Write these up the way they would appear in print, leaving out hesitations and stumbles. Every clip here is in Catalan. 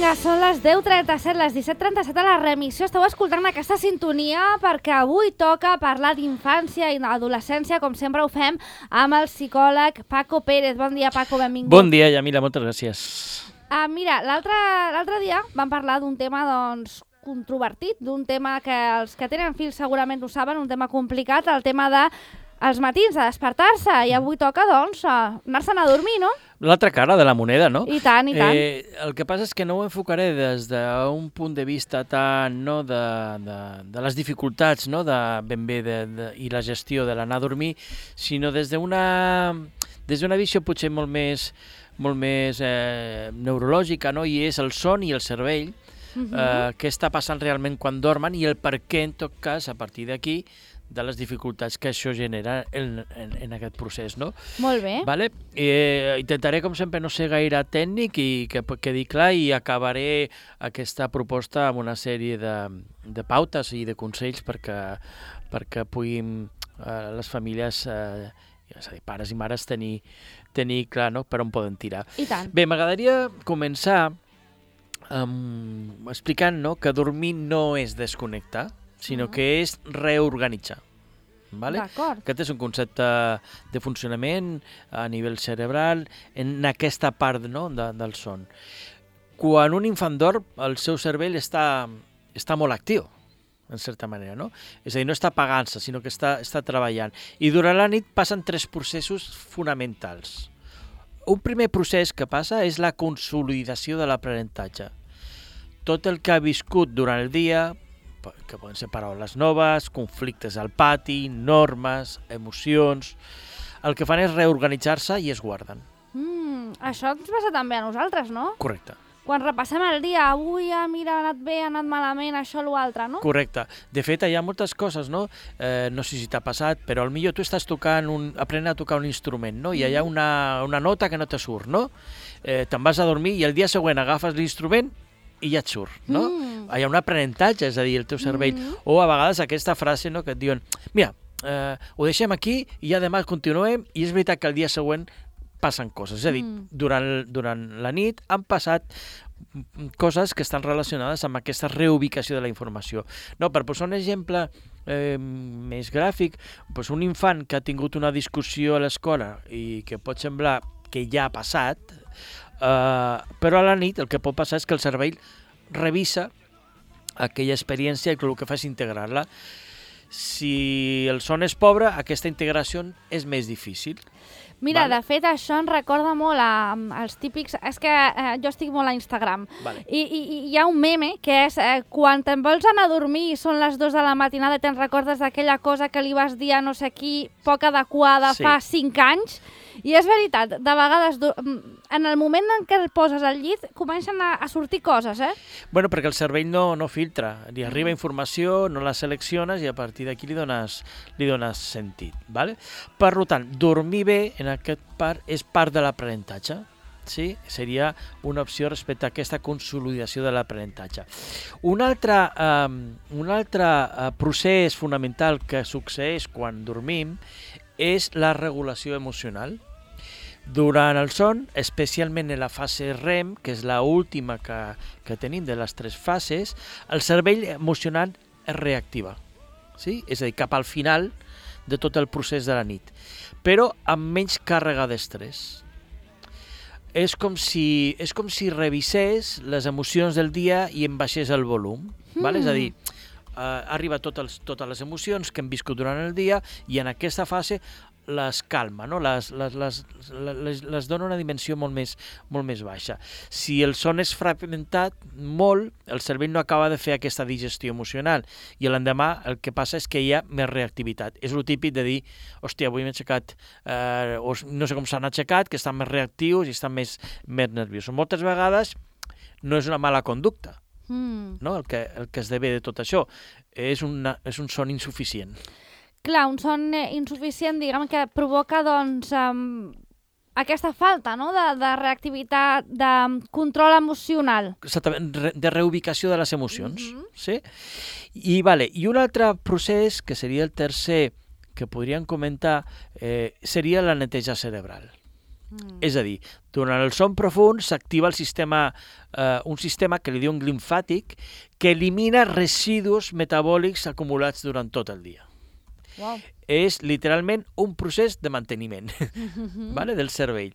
Vinga, són les 10:37, les 17:37 a la remissió. Esteu escoltant aquesta sintonia perquè avui toca parlar d'infància i adolescència, com sempre ho fem, amb el psicòleg Paco Pérez. Bon dia, Paco, benvingut. Bon dia, Yamila, moltes gràcies. Mira, l'altre dia vam parlar d'un tema, doncs, controvertit, d'un tema que els que tenen fills segurament ho saben, un tema complicat, el tema de els matins, de despertar-se, i avui toca, doncs, anar-se'n a dormir, no? L'altra cara de la moneda, no? I tant, i tant. El que passa és que no ho enfocaré des d'un punt de vista tant no, de les dificultats, no, de ben bé i la gestió de l'anar a dormir, sinó des d'una visió potser molt més neurològica, no? I és el son i el cervell, què està passant realment quan dormen i el per què, en tot cas, a partir d'aquí, de les dificultats que això genera en aquest procés, no? Molt bé. Vale? Intentaré, com sempre, no ser gaire tècnic i que quedi clar, i acabaré aquesta proposta amb una sèrie de pautes i de consells perquè puguin les famílies, és a dir, pares i mares, tenir clar, no?, per on poden tirar. I tant. Bé, m'agradaria començar explicant, no?, que dormir no és desconnectar, sinó que és reorganitzar. Vale? D'acord. Aquest és un concepte de funcionament a nivell cerebral en aquesta part, no?, del son. Quan un infant dorm, el seu cervell està molt actiu, en certa manera, no? És a dir, no està apagant-se, sinó que està treballant. I durant la nit passen 3 processos fonamentals. Un primer procés que passa és la consolidació de l'aprenentatge. Tot el que ha viscut durant el dia, que poden ser paraules noves, conflictes al pati, normes, emocions, el que fan és reorganitzar-se i es guarden. Això ens passa també a nosaltres, no? Correcte. Quan repassem el dia, avui, mira, ha anat bé, ha anat malament, això, l'altre, no? Correcte. De fet, hi ha moltes coses, no? No sé si t'ha passat, però potser tu estàs aprenent a tocar un instrument, no? I hi ha una nota que no te surt, no? Te'n vas a dormir i el dia següent agafes l'instrument i ja et surt, no? Hi ha un aprenentatge, és a dir, el teu cervell. O a vegades aquesta frase, no?, que et diuen, mira, ho deixem aquí i ja demà continuem, i és veritat que el dia següent passen coses. És a dir, durant la nit han passat coses que estan relacionades amb aquesta reubicació de la informació. No, per posar un exemple més gràfic, doncs un infant que ha tingut una discussió a l'escola i que pot semblar que ja ha passat, però a la nit el que pot passar és que el cervell revisa aquella experiència i el que fa és integrar-la. Si el son és pobre, aquesta integració és més difícil. Mira, de fet, això em recorda molt als típics... És que jo estic molt a Instagram. I hi ha un meme que és quan te'n vols anar a dormir i són les 2 de la matinada i te'n recordes d'aquella cosa que li vas dir a no sé qui, poc adequada, fa 5 anys. I és veritat, de vegades, en el moment en què el poses al llit, comencen a sortir coses, Bueno, perquè el cervell no filtra, li arriba informació, no la selecciones i a partir d'aquí li dones sentit, ¿vale? Per tant, dormir bé en aquest part és part de l'aprenentatge, sí? Seria una opció respecte a aquesta consolidació de l'aprenentatge. Un altre procés fonamental que succeeix quan dormim és la regulació emocional. Durant el son, especialment en la fase REM, que és l'última que tenim de les 3 fases, el cervell emocional es reactiva, sí? És a dir, cap al final de tot el procés de la nit, però amb menys càrrega d'estrès. És com si revisés les emocions del dia i en baixés el volum, ¿vale? És a dir, arriba totes les emocions que hem viscut durant el dia i en aquesta fase les calma, no? Les dona una dimensió molt més baixa. Si el son és fragmentat molt, el cervell no acaba de fer aquesta digestió emocional i l'endemà el que passa és que hi ha més reactivitat. És el típic de dir, hòstia, avui m'he aixecat, o no sé com s'han aixecat, que estan més reactius i estan més nerviosos. Moltes vegades no és una mala conducta, no? El que esdevé de tot això és un son insuficient. Clar, un son insuficient, diguem, que provoca, doncs, aquesta falta, no?, de reactivitat, de control emocional. Exactament, de reubicació de les emocions. Sí? I un altre procés, que seria el tercer que podríem comentar, seria la neteja cerebral. És a dir, durant el son profund s'activa un sistema que li diuen limfàtic que elimina residus metabòlics acumulats durant tot el dia. Wow. És literalment un procés de manteniment vale, del cervell.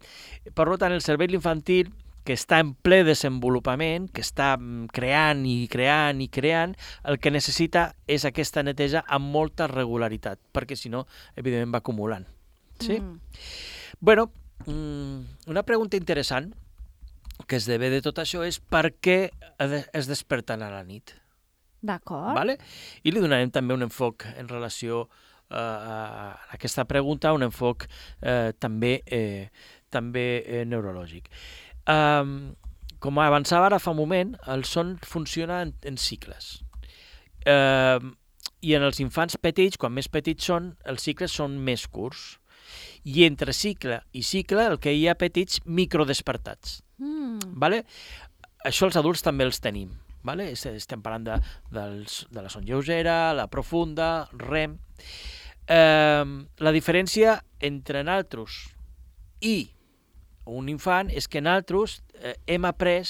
Per tant, el cervell infantil, que està en ple desenvolupament, que està creant i creant i creant, el que necessita és aquesta neteja amb molta regularitat, perquè si no, evidentment va acumulant. Sí? Bueno, una pregunta interessant que esdevé de tot això és per què es desperten a la nit. D'acord. Vale? I li donarem també un enfoc en relació a aquesta pregunta, un enfoc també neurològic. Com avançava ara fa un moment, el son funciona en cicles. I en els infants petits, quan més petits són, els cicles són més curts. I entre cicle i cicle el que hi ha petits microdespertats. Vale? Això els adults també els tenim. Vale? Estem parlant de la son lleugera, la profunda, REM. La diferència entre nosaltres i un infant és que nosaltres hem après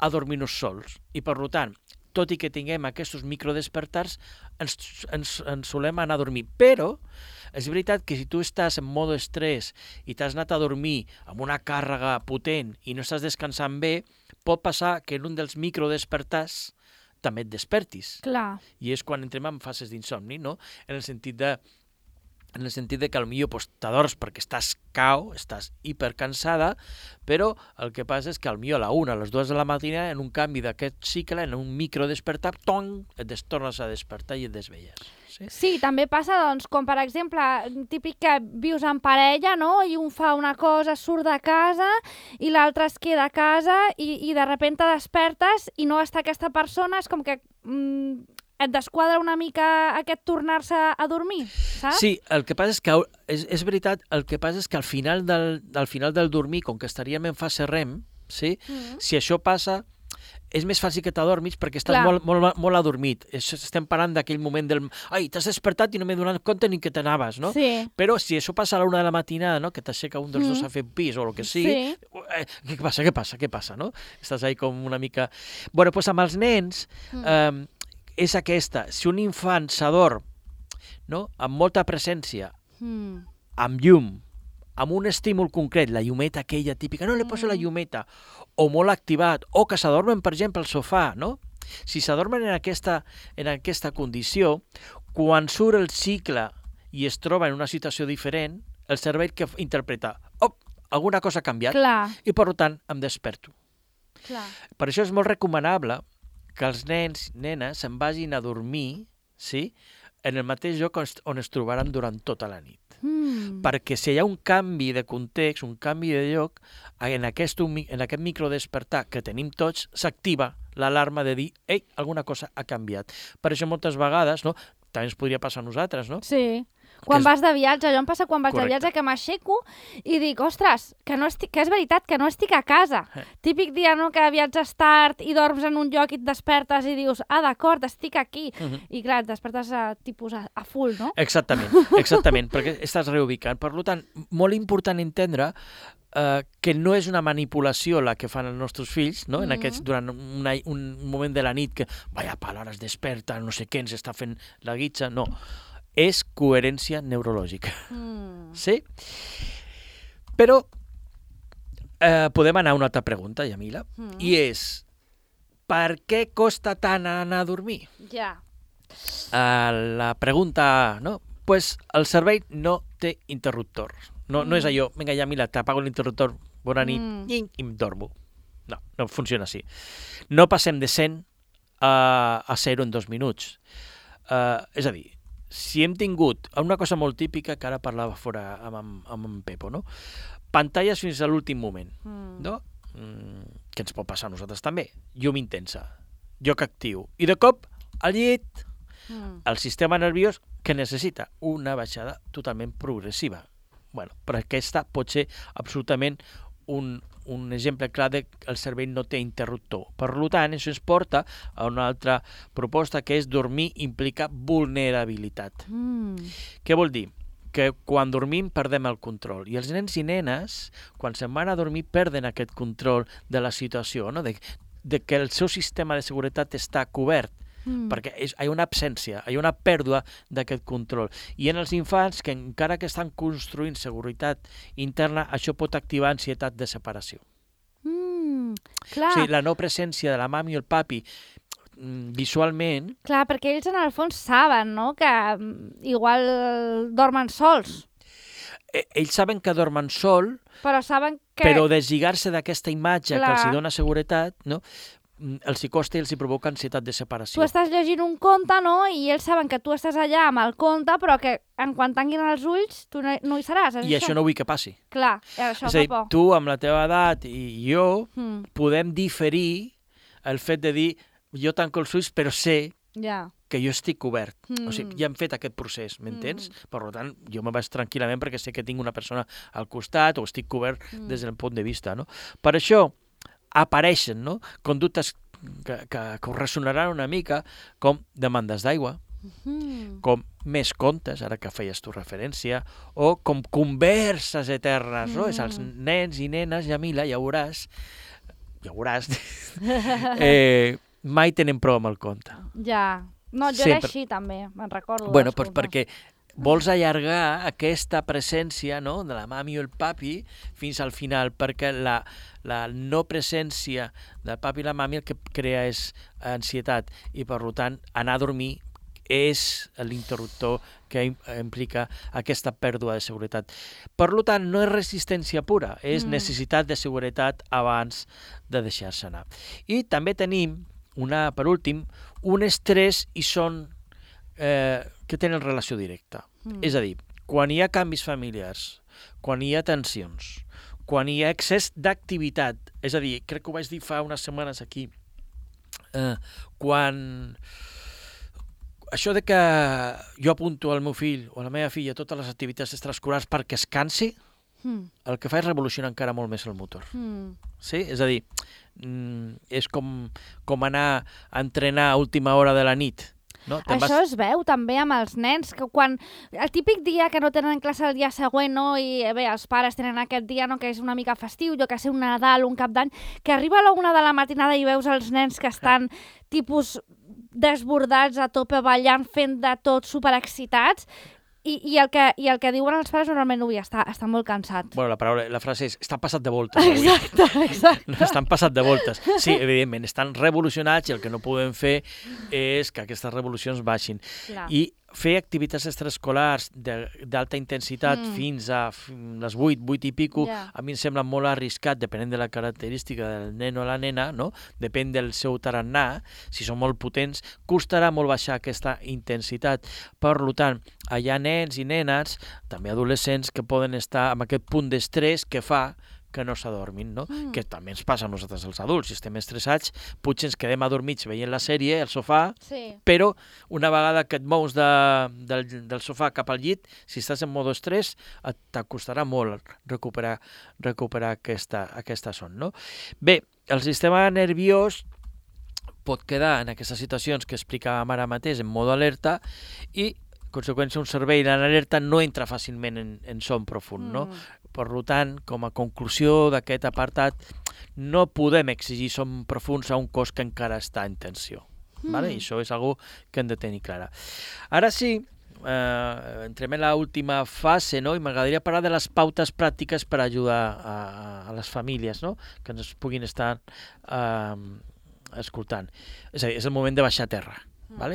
a dormir-nos sols i per tant, tot i que tinguem aquests microdespertars, ens solem anar a dormir. Però és veritat que si tu estàs en mode estrès i t'has anat a dormir amb una càrrega potent i no estàs descansant bé, pot passar que en un dels microdespertars també et despertis. Clar. I és quan entrem en fases d'insomni, no? En el sentit de que potser t'adors perquè estàs estàs hipercansada, però el que passa és que potser a la 1, a les 2 de la matina, en un canvi d'aquest cicle, en un microdespertar, et tornes a despertar i et desvelles. Sí, també passa, doncs, com per exemple, típic que vius en parella, no?, i un fa una cosa, surt de casa, i l'altre es queda a casa, i de sobte despertes i no està aquesta persona, és com que et desquadra una mica aquest tornar-se a dormir, saps? Sí, el que passa és que, és veritat, el que passa és que al final del dormir, com que estaríem en fase REM, sí? Si això passa, és més fàcil que t'adormis perquè estàs molt adormit. Estem parlant d'aquell moment del... Ai, t'has despertat i no m'he donat compte ni que t'anaves, no? Sí. Però si això passa a la 1 de la matinada, no?, que t'aixeca un dels dos a fer pis o el que sigui, què passa, no? Estàs ahí com una mica... Bueno, doncs amb els nens és aquesta. Si un infant s'adorm, no?, amb molta presència, amb llum, amb un estímul concret, la llumeta aquella típica, no li poso la llumeta, o molt activat, o que s'adormen, per exemple, al sofà, no? Si s'adormen en aquesta condició, quan surt el cicle i es troba en una situació diferent, el cervell que interpreta, alguna cosa ha canviat, i per tant em desperto. Per això és molt recomanable que els nens i nenes se'n vagin a dormir, sí?, en el mateix lloc on es trobaran durant tota la nit. Perquè si hi ha un canvi de context, un canvi de lloc, en aquest microdespertar que tenim tots, s'activa l'alarma de dir, ei, alguna cosa ha canviat. Per això moltes vegades, no?, també ens podria passar a nosaltres, no? Sí. Quan vas de viatge, allò em passa quan vaig de viatge que m'aixeco i dic, ostres, que és veritat, que no estic a casa. Típic dia, no?, que viatges tard i dorms en un lloc i et despertes i dius, d'acord, estic aquí. I clar, et despertes tipus a full, no? Exactament, perquè estàs reubicant. Per tant, molt important entendre que no és una manipulació la que fan els nostres fills, no?, durant un moment de la nit que, vaya pal, ara es desperta, no sé què, ens està fent la guitza, no. És coherència neurològica. Sí? Però podem anar a una altra pregunta, Yamila, i és, per què costa tant anar a dormir? Ja. La pregunta, no? Pues el cervell no té interruptor. No és allò, vinga, Yamila, t'apago l'interruptor, bona nit, i em dormo. No funciona així. No passem de 100 a 0 en 2 minuts. És a dir, si hem tingut una cosa molt típica que ara parlava fora amb en Pepo, no? Pantalles fins a l'últim moment, no? Que ens pot passar a nosaltres també. Llum intensa, joc actiu. I de cop, al llit, el sistema nerviós que necessita una baixada totalment progressiva. Bueno, però aquesta pot ser absolutament un exemple clar de que el cervell no té interruptor. Per tant, això ens porta a una altra proposta que és dormir implica vulnerabilitat. Què vol dir? que quan dormim perdem el control. I els nens i nenes, quan se'n van a dormir, perden aquest control de la situació, no? de que el seu sistema de seguretat està cobert, perquè hi ha una absència, hi ha una pèrdua d'aquest control. I en els infants, que encara que estan construint seguretat interna, això pot activar ansietat de separació. Clar. O sigui, la no presència de la mami o el papi visualment... Clar, perquè ells en el fons saben, no?, que igual dormen sols. Ells saben que dormen sol, però saben que... Però deslligar-se d'aquesta imatge que els dona seguretat, no?, els hi costa i els hi provoca ansietat de separació. Tu estàs llegint un conte, no?, i ells saben que tu estàs allà amb el conte, però que en quan tanguin els ulls tu no hi seràs. I això no vull que passi. Clar, això és a dir, fa por. tu amb la teva edat i jo podem diferir el fet de dir jo tanco els ulls però sé que jo estic cobert. O sigui, ja hem fet aquest procés, m'entens? Per tant, jo me vaig tranquil·lament perquè sé que tinc una persona al costat o estic cobert des del punt de vista, no? Per això apareixen, no?, conductes que us ressonaran una mica com demandes d'aigua, com més contes, ara que feies tu referència, o com converses eternes, no? És els nens i nenes, Yamila, ja veuràs, mai tenen prou amb el conte. Ja. No, jo era així també, me'n recordo. Bueno, doncs perquè vols allargar aquesta presència, no?, de la mami o el papi fins al final, perquè la no presència del papi i la mami el que crea és ansietat i, per tant, anar a dormir és l'interruptor que implica aquesta pèrdua de seguretat. Per tant, no és resistència pura, és necessitat de seguretat abans de deixar-se anar. I també tenim, per últim, un estrès i son que tenen relació directa. És a dir, quan hi ha canvis familiars, quan hi ha tensions, quan hi ha excés d'activitat, és a dir, crec que ho vaig dir fa unes setmanes aquí, quan això de que jo apunto al meu fill o a la meva filla totes les activitats extraescolars perquè es cansi, el que fa és revolucionar encara molt més el motor. Sí? És a dir, és com anar a entrenar a última hora de la nit. No? Això es veu també amb els nens, que quan el típic dia que no tenen classe el dia següent, no? I bé, els pares tenen aquest dia, no?, que és una mica festiu, jo que sé, un Nadal, un Cap d'Any, que arriba a la 1 de la matinada i veus els nens que estan tipus desbordats a tope, ballant, fent de tot, superexcitats, i el que diuen els pares normalment no està molt cansat. Bueno, la frase és, estan passat de voltes. Exacte. Estan passat de voltes. Sí, evidentment, estan revolucionats i el que no podem fer és que aquestes revolucions baixin. Clar. I fer activitats extraescolars d'alta intensitat fins a les 8 i pico, a mi em sembla molt arriscat, depenent de la característica del nen o la nena, no? Depèn del seu tarannà, si són molt potents, costarà molt baixar aquesta intensitat. Per tant, hi ha nens i nenes, també adolescents, que poden estar amb aquest punt d'estrès que fa que no s'adormin, no? Que també ens passa a nosaltres els adults. Si estem estressats, potser ens quedem adormits veient la sèrie al sofà, però una vegada que et mous del sofà cap al llit, si estàs en modo estrès, t'acostarà molt recuperar aquesta son, no? Bé, el sistema nerviós pot quedar en aquestes situacions que explicàvem ara mateix en modo alerta i, en conseqüència, un cervell en alerta no entra fàcilment en son profund, no? Per tant, com a conclusió d'aquest apartat, no podem exigir son profuns a un cos que encara està en tensió. I això és una cosa que hem de tenir clara. Ara sí, entrem en l'última fase, no? I m'agradaria parlar de les pautes pràctiques per ajudar a les famílies, no?, que ens puguin estar escoltant. És a dir, és el moment de baixar a terra,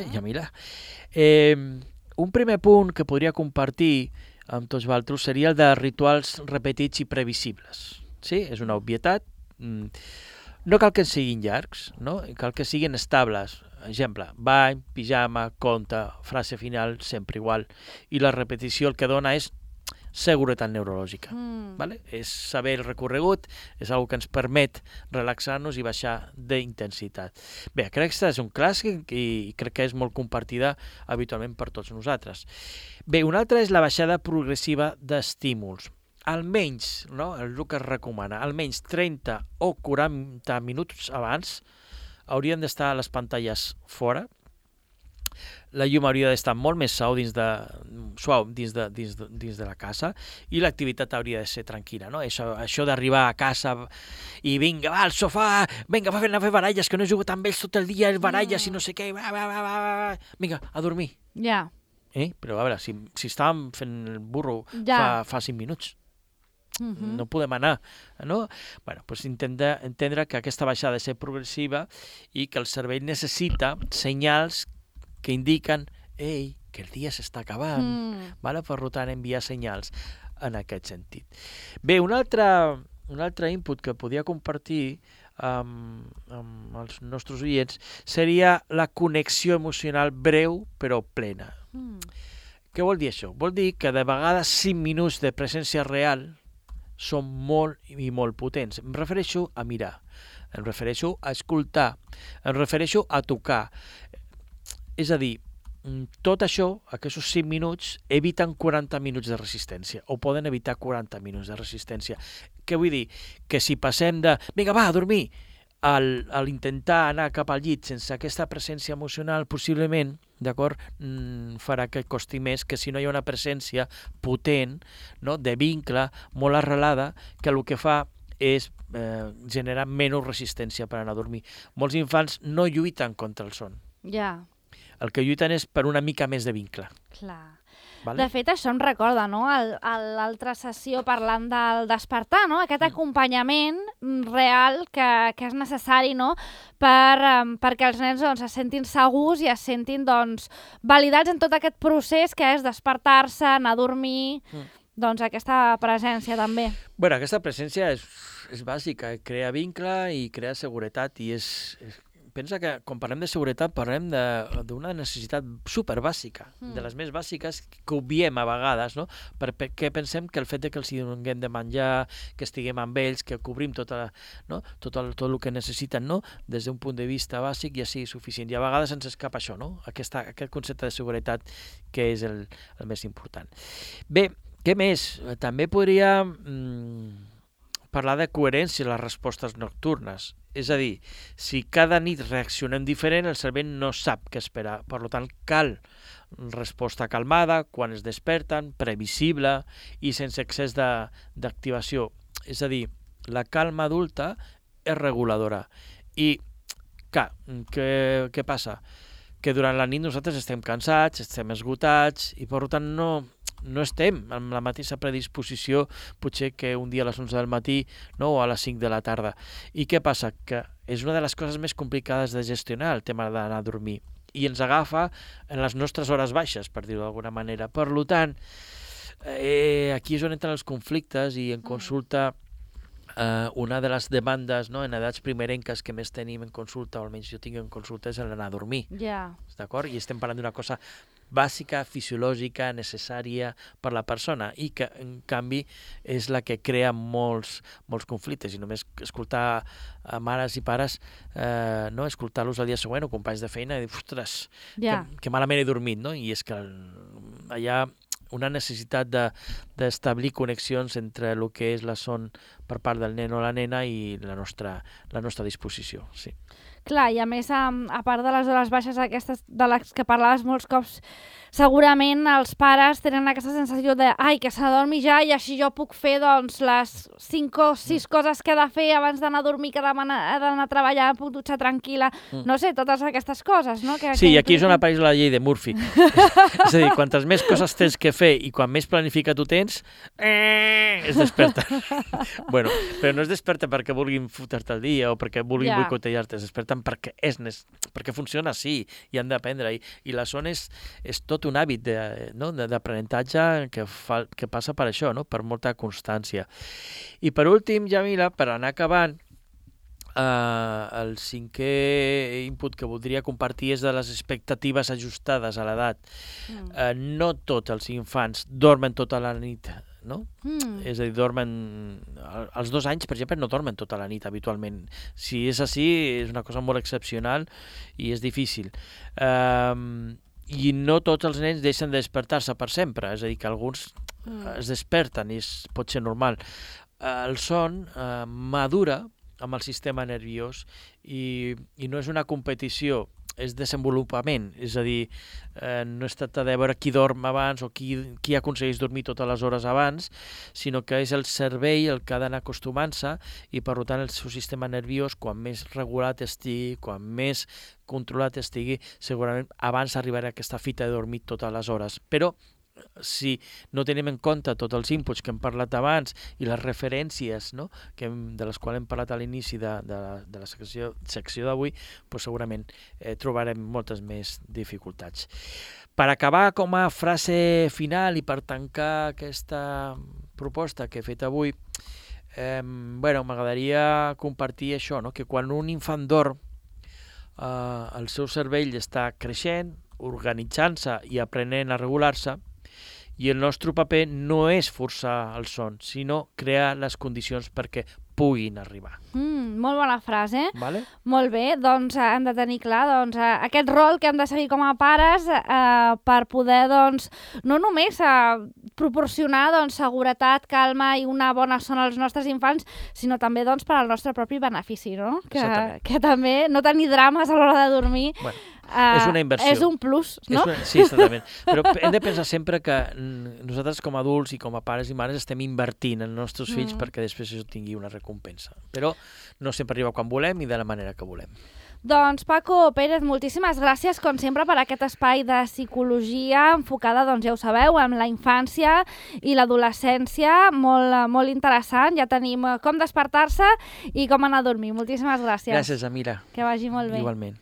Yamila? Un primer punt que podria compartir amb tots vosaltres seria el de rituals repetits i previsibles. Sí? És una obvietat. No cal que siguin llargs, no? Cal que siguin estables. Exemple, bany, pijama, conte, frase final, sempre igual. I la repetició el que dona és seguretat neurològica. És saber el recorregut, és una cosa que ens permet relaxar-nos i baixar d'intensitat. Bé, crec que és un clàssic i crec que és molt compartida habitualment per tots nosaltres. Bé, una altra és la baixada progressiva d'estímuls. Almenys, no?, el que es recomana, almenys 30 o 40 minuts abans haurien d'estar les pantalles fora la llum hauria d'estar molt més suau dins de la casa i l'activitat hauria de ser tranquil·la, no? Això d'arribar a casa i vinga, va, al sofà, vinga, va a fer baralles, que no he jugat amb ells tot el dia, baralles i no sé què, vinga, a dormir. Ja. Però a veure, si estàvem fent el burro fa 5 minuts, no podem anar, no? Bueno, doncs entendre que aquesta baixada ha de ser progressiva i que el cervell necessita senyals que indiquen que el dia s'està acabant, per tant enviar senyals en aquest sentit. Bé, un altre input que podia compartir amb els nostres oients seria la connexió emocional breu però plena. Què vol dir això? Vol dir que de vegades 5 minuts de presència real són molt i molt potents. Em refereixo a mirar, em refereixo a escoltar, em refereixo a tocar. És a dir, tot això, aquests 5 minuts, eviten 40 minuts de resistència, o poden evitar 40 minuts de resistència. Què vull dir? Que si passem de, vinga, va, a dormir, al intentar anar cap al llit sense aquesta presència emocional, possiblement, d'acord, farà que costi més que si no hi ha una presència potent, no, de vincle, molt arrelada, que el que fa és generar menys resistència per anar a dormir. Molts infants no lluiten contra el son. Ja. El que lluiten és per una mica més de vincle. Clar. Vale? De fet, això em recorda, no?, l'altra sessió parlant del despertar, no?, aquest acompanyament real que és necessari, no?, perquè els nens se sentin segurs i es sentin validats en tot aquest procés que és despertar-se, anar a dormir, aquesta presència també. Bé, aquesta presència és bàsica, crea vincle i crea seguretat i pensa que quan parlem de seguretat parlem d'una necessitat superbàsica, de les més bàsiques que obviem a vegades, no? Perquè pensem que el fet que els donem de menjar, que estiguem amb ells, que cobrim tot el que necessiten, no? Des d'un punt de vista bàsic ja sigui suficient. I a vegades ens escapa això, no? Aquest concepte de seguretat que és el més important. Bé, què més? També podria parlar de coherència en les respostes nocturnes. És a dir, si cada nit reaccionem diferent, el cervell no sap què esperar. Per tant, cal resposta calmada, quan es desperten, previsible i sense excés d'activació. És a dir, la calma adulta és reguladora. I, clar, què passa? Que durant la nit nosaltres estem cansats, estem esgotats i per tant no estem amb la mateixa predisposició potser que un dia a les 11 del matí, no, o a les 5 de la tarda. I què passa? Que és una de les coses més complicades de gestionar, el tema d'anar a dormir. I ens agafa en les nostres hores baixes, per dir-ho d'alguna manera. Per tant, aquí és on entren els conflictes i en consulta una de les demandes, no, en edats primerenques que més tenim en consulta, o almenys jo tinc en consulta, és l'anar a dormir. Ja. D'acord? I estem parlant d'una cosa bàsica, fisiològica, necessària per la persona i que, en canvi, és la que crea molts conflictes. I només escoltar mares i pares, no, escoltar-los el dia següent o companys de feina i dir, ostres, que malament he dormit, no? I és que hi ha una necessitat d'establir connexions entre el que és la son per part del nen o la nena i la nostra disposició, sí. Clar, i a més, a part de les hores baixes aquestes de les que parlaves molts cops, segurament els pares tenen aquesta sensació de que s'adormi ja i així jo puc fer les 5 o 6 coses que he de fer abans d'anar a dormir, que he d'anar a treballar, puc dutxar tranquil·la, no sé, totes aquestes coses, no? Sí, i aquí és on apareix la llei de Murphy. És a dir, quantes més coses tens que fer i quan més planificat ho tens, es desperta. Bueno, però no es desperta perquè vulguin fotre-te el dia o perquè vulguin boicotejar-te, es desperten perquè funciona així i han d'aprendre. I la son és tot un hàbit d'aprenentatge que passa per això, no? Per molta constància. I per últim, Jamila, per anar acabant, el 5è input que voldria compartir és de les expectatives ajustades a l'edat. No tots els infants dormen tota la nit, no? És a dir, dormen... Als 2 anys, per exemple, no dormen tota la nit habitualment. Si és així, és una cosa molt excepcional i és difícil. I no tots els nens deixen de despertar-se per sempre, és a dir, que alguns es desperten i pot ser normal. El son madura amb el sistema nerviós i no és una competició desenvolupament, és a dir, no es tracta de veure qui dorm abans o qui aconsegueix dormir totes les hores abans, sinó que és el cervell el que ha d'anar acostumant-se i, per tant, el seu sistema nerviós, quan més regulat estigui, quan més controlat estigui, segurament abans arribarà a aquesta fita de dormir totes les hores. Però si no tenim en compte tots els inputs que hem parlat abans i les referències, no? De les quals hem parlat a l'inici de la secció d'avui, doncs segurament trobarem moltes més dificultats. Per acabar, com a frase final i per tancar aquesta proposta que he fet avui, m'agradaria compartir això, no? Que quan un infant dorm, el seu cervell està creixent, organitzant-se i aprenent a regular-se, i el nostre paper no és forçar el son, sinó crear les condicions perquè puguin arribar. Molt bona frase. Vale? Molt bé, doncs hem de tenir clar aquest rol que hem de seguir com a pares per poder no només proporcionar seguretat, calma i una bona son als nostres infants, sinó també per al nostre propi benefici, no? Que també no tenir drames a l'hora de dormir és una inversió. És un plus, no? Sí, exactament. Però hem de pensar sempre que nosaltres com a adults i com a pares i mares estem invertint en els nostres fills perquè després això tingui una recompensa. Però no sempre arriba quan volem i de la manera que volem. Doncs Paco Pérez, moltíssimes gràcies com sempre per aquest espai de psicologia enfocada, ja ho sabeu, en la infància i l'adolescència, molt interessant. Ja tenim com despertar-se i com anar a dormir. Moltíssimes gràcies. Gràcies, Amira. Que vagi molt bé. Igualment.